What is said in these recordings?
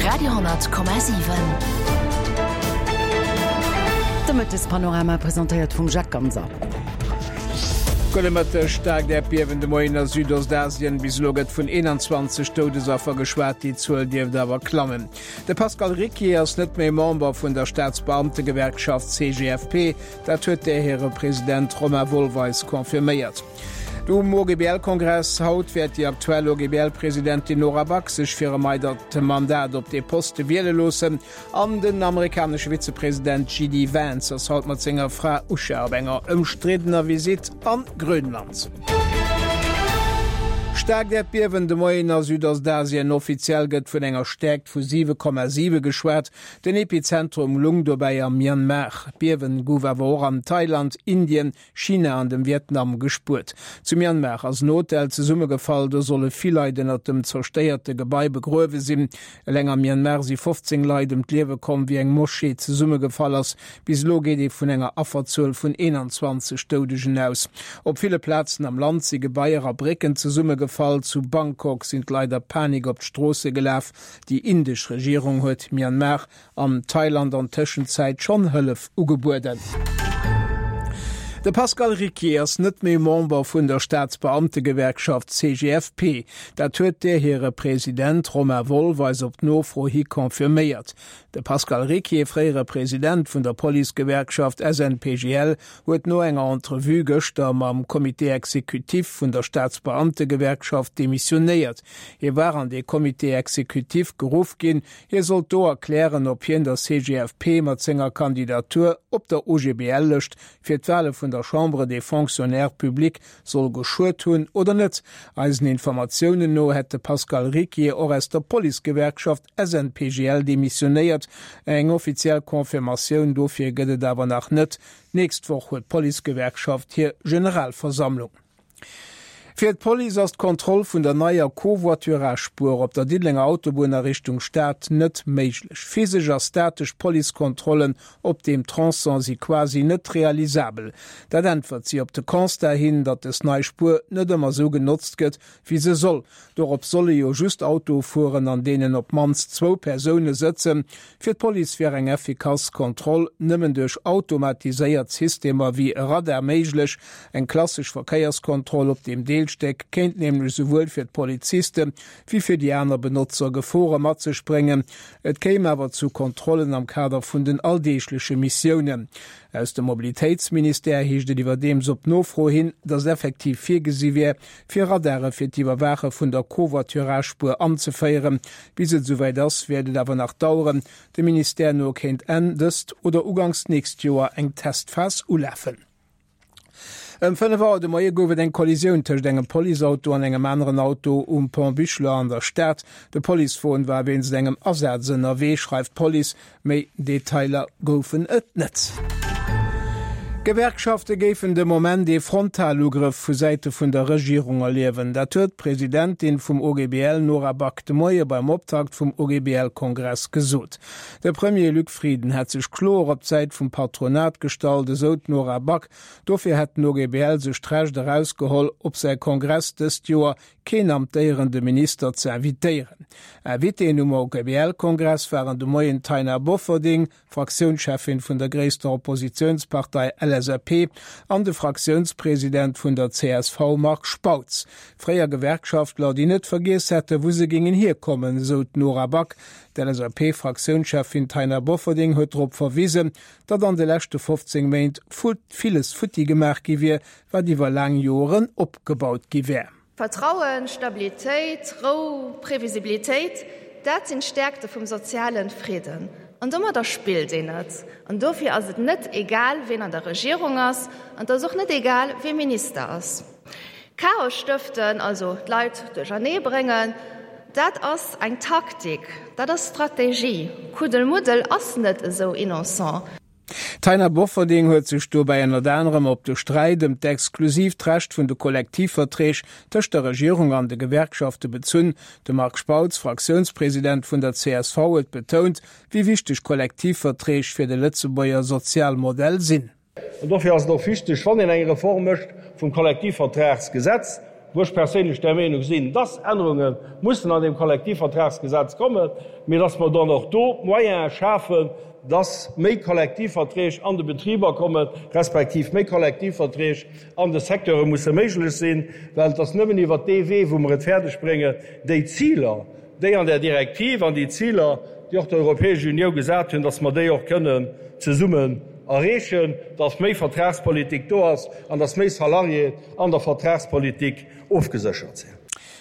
Radio,7. De Mëttespanorama presentéiert vum Jacques Ganser. Gudde Mëtteg, Staarkt Äerdbiewen de Moien a Südostasien. Bis elo gëtt vun 21 Doudesaffer geschwat, déi Zuel dierft awer klammen. De Pascal Ricquier ass net méi Member vun der Staatsbeamtegewerkschaft CGFP. Dat huet där hire President Romain Wolweis confirméiert. Um OGBL-Kongress haut wäert déi aktuell OGBL-Presidentin Nora Back sech fir e weidert Mandat op dee Poste wiele loossen. An den amerikanesche Vizepresident JD Vance ass haut mat senger Fra Usha op enger ëmstriddener Visitt a Grönland. Staarkt Äerdbiewen de Moien a Südostasien, Offiziell gëtt vun enger Stäerkt vu 7,7 geschwat. Den Epizentrum lung dobäi am Myanmar. D'Biewen gouf awer och an Thailand, Indien, China an dem Vietnam gespuert. Zu Myanmar ass en Hotel zesummegefall, do solle vill Leit ënnert dem zerstéierte Gebai begruewe sinn. Eleng am Myanmar si 15 Leit ëm d'Liewe komm, wéi eng Moschee zesummegefall ass. Bis elo geet ee vun enger Afferzuel vun 21 Doudegen aus. Op ville Plazen am Land si Gebaier a Brécken zesummegefall. Zu Bangkok sinn d'Leit a Panik op d'Stroosse gelaf. Déi indesch Regierung huet Myanmar An Thailand an Tëschenzäit schonn Hëllef ugebueden. De Pascal Ricquier ass net méi Member vun der Staatsbeamtegewerkschaft CGFP. Dat huet där hire President Romain Wolff eis op Nofro hi confirméiert. De Pascal Ricquier, fréiere President vun der Policegewerkschaft SNPGL, huet no enger Entrevue gëschter mam Comité exécutif vun der Staatsbeamtegewerkschaft demissionéiert. Hie war an dee Comité exécutif geruff ginn, Hie sollt do erklären, ob hien der CGFP mat senger Kandidatur op der OGBL-Lëscht fir d'Wale vun der Chambre des Fonctionnaires publics soll geschuet hunn oder net. Eisen Informatiounen no hätt de Pascal Ricquier och aus der Policegewerkschaft SNPGL demissionéiert. Eng offiziell Confirmatioun dofir gëtt et awer nach net. D'nächst Woch huet d'Policegewerkschaft hir Generalversammlung. Fir d'Police ass d'Kontroll vun der neier Covoiturage-Spuer op der Diddelenger Autobunn a Richtung Stad net méiglech. Physesch a statesch Policekontrollen op deem Tronçon si quasi net realisabel. Dat äntwert si op de Constat hin, datt des nei Spuer net ëmmer esou genotzt gëtt, wéi se soll. Dorop solle jo just Autoe fueren, an deenen op d'mannst zwou Persoune sëtzen. Fir d'Police wär eng effikass Kontroll nëmmen duerch automatiséiert Systemer wéi e Radar méiglech. Eng klassesch Verkéierskontroll op deem Deelstéck kéint nämlech souwuel fir d'Poliziste wéi fir déi aner Benotzer Gefore mat sech bréngen. Et kéim awer zu Kontrollen am Kader vun den alldeegleche Missiounen. Aus dem Mobilitéitsministère heescht et iwwerdeems op Nofro hin, datt effektiv virgesi wär, fir Radare fir d'Iwwerwaache vun der Covoiturage-Spuer anzeféieren. Bis et esouwäit ass, wäert et awer nach daueren. Dem Ministère no kéint Enn dëst oder uganks d'nächst Joer eng Testphas ulafen. Ëm 5 Auer de Moie gouf et eng Kollisioun tëscht engem Policeauto an engem aneren Auto um Pont Buchler an der Stad. De Policewon war wéinst engem Asaz ënnerwee, schreift d'Police. Méi Detailer goufen et net. D'Gewerkschafte géifen de Moment ee Frontalugrëff vu Säite vun der Regierung erliewen. Dat huet d'Presidentin vum OGBL Nora Back de Moie beim Optakt vum OGBL-Kongress gesot. De Premier Luc Frieden hätt sech kloer op d'Säit vum Patronat gestallt, esou d'Nora Back. Dofir hätt den OGBL sech d'Recht erausgeholl, op säi Kongress dëst Joer keen amtéierende Minister ze invitéieren. Invitéen um OGBL-Kongress waren de Moien d'Taina Bofferding, Fraktiounscheffin vun der gréisster Oppositiounspartei LSAP, an de Fraktiounspresident vun der csv Marc Spautz. Fréier Gewerkschaftler, déi net vergiess hätte wou se géingen hierkommen, esou d'Nora Back. D'LSAP-Fraktiounscheffin Taina Bofferding huet drop verwisen, datt an de leschte 15 Méint villes futti gemaach gi wier, wat iwwer laang Joeren opgebaut gi wär. Vertrauen, Stabilitéit, Rou, Previsibilitéit, dat sinn d'Stäerkte vum sozialen Fridden. An domadder spillt een net. An dofir ass et net egal, ween an der Regierung ass, an et ass och net egal, wee Minister ass. Chaos stëften, also d'Leit duerchernee bréngen, dat ass eng Taktik, dat ass Strategie. Kuddelmuddel ass net esou innocent. D'Taina Bofferding huet sech dobäi ënnert anerem op de Sträit ëm d'exklusiivt Recht vun de Kollektivverträg tëscht der Regierung an de Gewerkschafte bezunn. De Marc Spautz, Fraktiounspresident vun der csv, huet betount, wéi wichteg Kollektivverträg fir de Lëtzebuerger Sozialmodell sinn. An dofir ass et och wichteg, wann een eng Reform mécht vum Kollektivvertragsgesetz. Wou ech perséinlech der Meenung sinn, dass Ännerunge mussen an deem Kollektivvertragsgesetz kommen, mee dass mer dann och do d'Moyene schafen, dass méi Kollektivverträg an de Betriber kommen, respektiv méi Kollektivverträg an de Secteure musse méiglech sinn, well et ass nëmmen iwwert dee Wee, wou mer et fäerdeg bréngen, déi Ziler, déi an där Direktiv an déi Ziler, déi och d'Europäesch Uniou gesat hunn, dass mer déi och kënnen zesummen erreechen, dass méi Vertragspolitik do ass an dass méi Salariéen an der Vertragspolitik ofgeséchert sinn.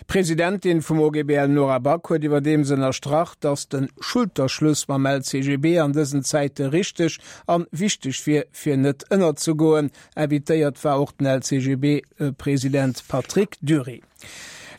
D'Presidentin vum OGBL Nora Back huet iwwerdeems ënnerstrach, datt de Schulterschluss mam LCGB an dësen Zäite richteg an wichteg wier, fir net ënnerzegoen. Invitéiert war och den LCGB-President Patrick Dury.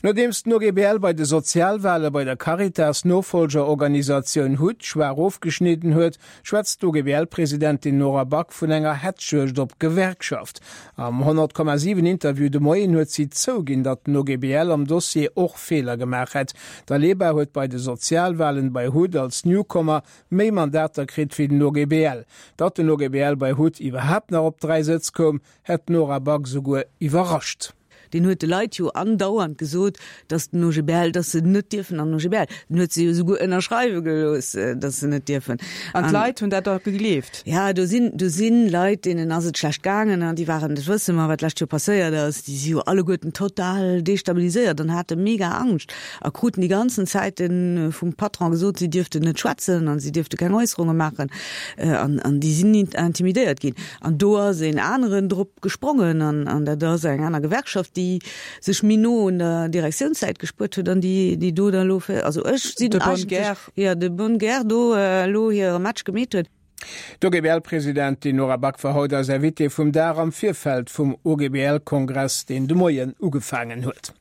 Nodeems den OGBL bei de Sozialwale bei der Caritas, Nofollgerorganisatioun hut, schwaach ofgeschnidden huet, schwätzt d'OGBL-Presidentin Nora Back vun enger Hetzjuegd op d'Gewerkschaft. Am 100,7 Interview de Moien huet si zouginn, datt den OGBL am Dossier och Feeler gemaach hätt. D'Aleba huet bei de Sozialwalen bei hut als Newcomer méi Mandater kritt wéi den OGBL. Datt den OGBL bei hut iwwerhaapt nach op 3 Sëtz koum, hätt d'Nora Back esouguer iwwerrascht. Deen huet de Leit jo andauernd gesot, datt den OGBL, datt se net dierfen an den OGBL. Den huet se jo esouguer ënnerschreiwe gelooss, datt se net dierfen. An d'Leit hunn dat da gegleeft? Ja, do sinn, do si Leit, deenen ass et schlecht gaangen an déi waren, dat wësse mer, wat d'lescht Joer passéiert ass, déi si jo alleguerten total destabiliséiert an hate mega Angscht a kruten déi ganzen Zäite vum Patron gesot, si dierften net schwätzen an si dierfte keng Äusserunge maachen an, an déi sinn intimidéiert ginn. An do ass een aneren drop gesprongen an, an dat ass eng aner Gewerkschaft, déi sech méi no un der Direktiounssäit gespuert huet an déi, déi do da lo, also ech sinn De bonne guerre. Jo, de bonne guerre do elo hire Match gemeet huet. D'OGBL-Presidentin Nora Back war haut eis Invitée vum Dag am Virfeld vum OGBL-Kongress, deen de Moien ugefaangen huet.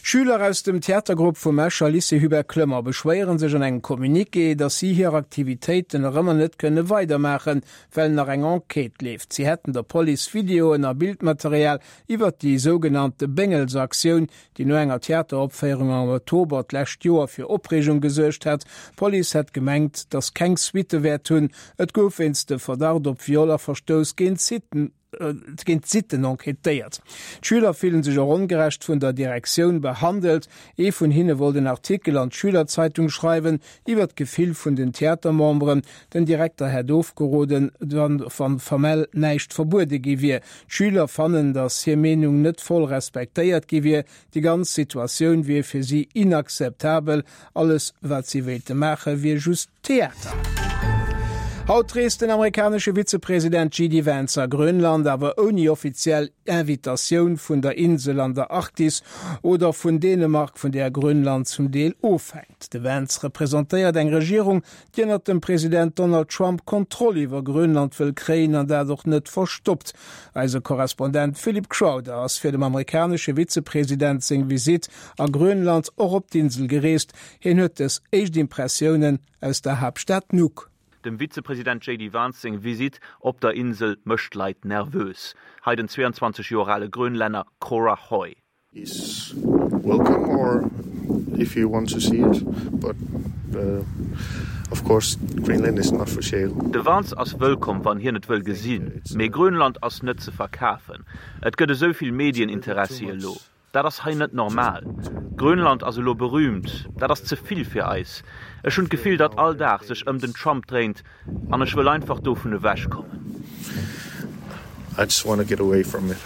Schüler aus dem Theatergrupp vum Escher Lycée Hubert Clement beschwéiere sech an engem Communiqué, datt si hir Aktivitéiten nach ëmmer net kënne weidermaachen, well nach eng Enquête leeft. Si hätten der Police Videoen a Bildmaterial iwwert déi sougenannte Béngelsaktioun, déi no enger Theateropféierung am Oktober d'lescht Joer fir Opreegung gesuergt hat. D'Police hätt gemengt, datt keng Suitte wäert hunn. Et gouf wéinst de Verdacht op Viol a Verstouss géint d'Sitten. Géint d'Sitten enquêtéiert. D'Schüler fillen sech och ongerecht vun der Direktioun behandelt. Ee vun hinne wollt en Artikel an d'Schülerzeitung schreiwen iwwer d'Gefill vun den Theatermemberen. Den Direkter hätt ofgeroden, wann formell näischt verbuede gi wier. D'Schüler fannen, datt hir Meenung net voll respektéiert gi wier. Déi ganz Situatioun wier fir si inakzeptabel. Alles wat si wéilte maache wier just Theater. Haut reest den amerikanesche Vizepresident JD Vance a Grönland, awer ouni offiziell Invitatioun vun der Insel an der Arktis oder vun Dänemark, vun där Grönland zum Deel ofhänkt. De Vance representéiert eng Regierung, déi ënnert dem President Donald Trump Kontroll iwwer Grönland wëll kréien an dat och net verstoppt. Eise Korrespondent Philip Crowther ass fir dem amerikanesche Vizepresident seng Visitt a Grönland och op d'Insel gereest. Hien huet dës éischt Impressiounen aus der Haaptstad Nuuk. Dem Vizepresident JD Vance seng Visitt op der Insel mécht d'Leit nervös. Hei den 22 Joer ale Grönlänner Cora Hoy. He's welcome or if you want to see it, but of course Greenland is not for sale. De Vance ass wëllkomm, wann hien et wëll gesinn, mee Grönland ass net ze verkafen. Et gëtt esou vill Medieninteressi elo. Dat ass hei net normal. Grönland ass elo berühmt. Dat ass ze vill fir eis. Ech hunn d'Gefill, datt all Dag sech ëm den Trump dréint an ech wëll einfach dovun ewech kommen. I just wanna get away from it.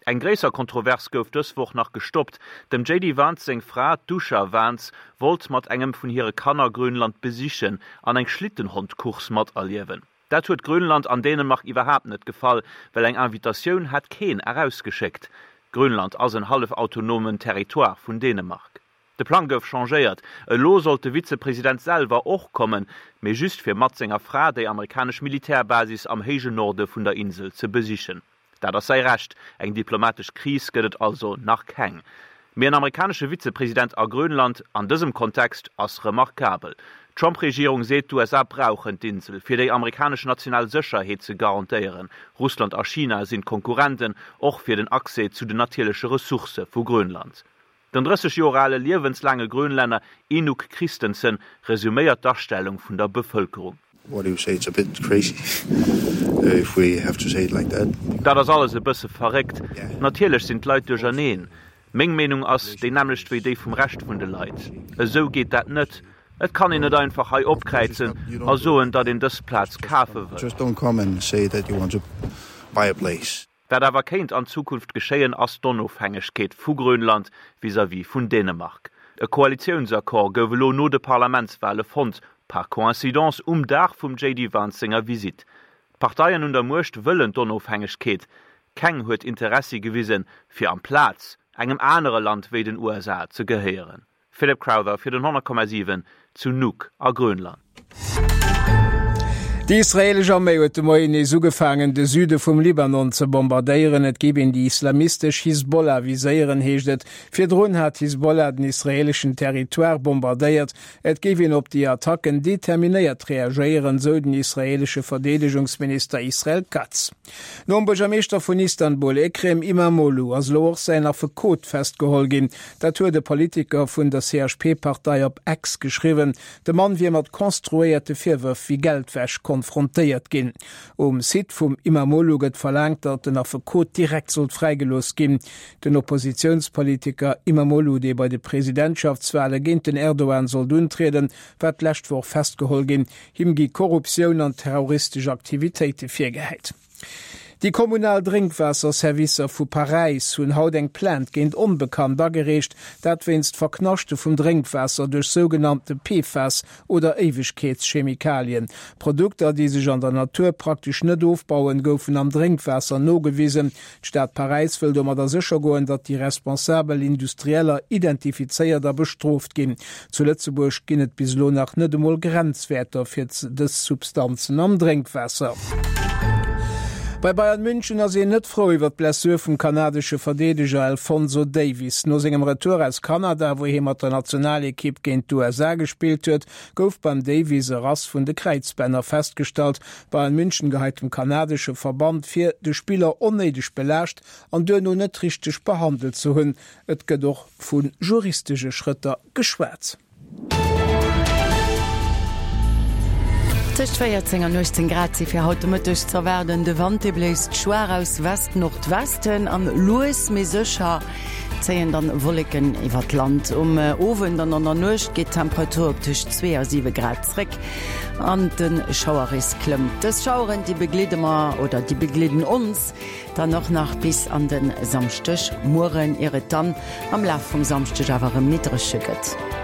Eng gréisser Kontrovers gouf dës Woch nach gestoppt. Dem JD Vance seng Fra, d'Usha Vance, wollt mat engem vun hire Kanner Grönland besichen an eng Schlittenhondcourse materliewen. Dat huet Grönland an Dänemark iwwerhaapt net gefall, well eng Invitatioun hat keen erausgeschéckt. Grönland ass en hallef autonomen Territoire vun Dänemark. De Plang gouf changéiert, elo sollt de Vizepresident selwer och kommen, mee just fir mat senger Fra déi amerikanesch Militärbasis am héije Norde vun der Insel ze besichen. Dat ass säi Recht, eng diplomatesch Kris gëtt et also nach keng. Mee en amerikanesche Vizepresident a Grönland an dësem Kontext ass remarkabel. D'Trump-Regierung seet, d'USA brauchen d'Insel, fir déi amerikanesch national Sécherheet ze garantéieren. Russland a China sinn d'Konkurrenten, och fir den Accès zu den natierleche Ressourcë vu Grönland. Den 30 Joer ale liewenslaange Grönlänner Inuk Christensen resuméiert d'Astellung vun der Bevëlkerung. What do you say, it's a bit crazy if we have to say it like that. Dat ass alles e bësse verréckt. Natierlech sinn d'Leit duercherneen. Meng Meenung ass déi nämmlecht wéi déi vum Rescht vun de Leit. Esou geet dat net. Et kann een net einfach hei opkräizen a soen, datt een dës Plaz kafe wëll. Wat awer kéint an Zukunft geschéien, ass d'Onofhängegkeet vu Grönland vis-à-vis vun Dänemark. E Koalitiounsaccord gouf elo no de Parlamentswale fonnt, par coïncidence um Dag vum JD Vance senger Visitt. D'Parteien un der Muecht wëllen d'Onofhängegkeet. Keng huet Interessi gewisen, fir amplaz engem anere Land wéi den USA ze gehéieren. Philip Crowther fir den 100,7 zu Nuuk a Grönland. Déi israeelesch Arméi huet de Moien nees ugefaangen, de Süde vum Libanon ze bombardéieren. Et géif een déi islamistesch Hisbollah viséieren, heescht et. Virdrun hat d'Hisbollah den israeeleschen Territoire bombardéiert. Et géif een op déi Attacken determinéiert reagéieren, sou den israeelesche Verdeedegungsminister Israel Katz. Nom Buergermeeschter vun Istanbul, Ekrem Imamoglu, ass elo och säin Affekot festgeholl ginn. Dat huet e Politiker vun der CHP-Partei op X geschriwwen. De Mann wier mat konstruéierte Virwërf wéi Geldwäsch konfrontéiert ginn. Um Site vum Imamoglu gëtt verlaangt, datt den Affekot direkt sollt fräigelooss ginn. Den Oppositiounspolitiker Imamoglu, dee bei de Presidentschaftswale géint den Erdogan sollt untrieden, war d'lescht Woch festgeholl ginn. Him gi Korruptioun an terroristesch Aktivitéite virgehäit. Déi kommunal Drénkwaasserservicer vu Paräis hunn haut eng Plainte géint Onbekannt agereecht, dat wéinst Verknaschte vum Drénkwaasser duerch sougenannte PFAS oder Éiwegkeetschemikalien. Produkter, déi sech an der Natur praktesch net ofbauen, goufen am Drénkwaasser nogewisen. D'Stad Paräis wëll domadder sécher goen, datt déi responsabel Industrieller identifizéiert a bestrooft ginn. Zu Lëtzebuerg ginn et bis elo nach net emol Grenzwäerter fir dës Substanzen am Drénkwaasser. Bei Bayern München ass een net frou iwwer d'Blessur vum kanadesche Verdeedeger Alphonso Davies. No sengem Retour aus Kanada, wou hie mat der Nationalekipp géint d'USA gespillt huet, gouf beim Davies e Rass vun de Kräizbänner festgestallt. Bayern München geheit dem kanadesche Verband vir, de Spiller onnéideg belaascht an duerno net richteg behandelt ze hunn. Et gëtt och vu juristesche Schrëtter geschwat. Tëscht 14 an 18 Grad si fir haut de Mëtteg z'erwaarden. De Wand, dee bléist schwaach aus West-Nordwesten an lues mee sécher zéien dann Wolleken iwwer d'Land. Um Owend an an der Nuecht geet d'Temperatur op tëscht 2 a 7 Grad zréck an de Schauerrisk klëmmt. Dës Schaueren, déi begleede mer oder déi begleeden ons dann och nach bis an de Samschdegmueren, ier et dann am Laf vum Samschdeg awer erëm méi dréche gëtt.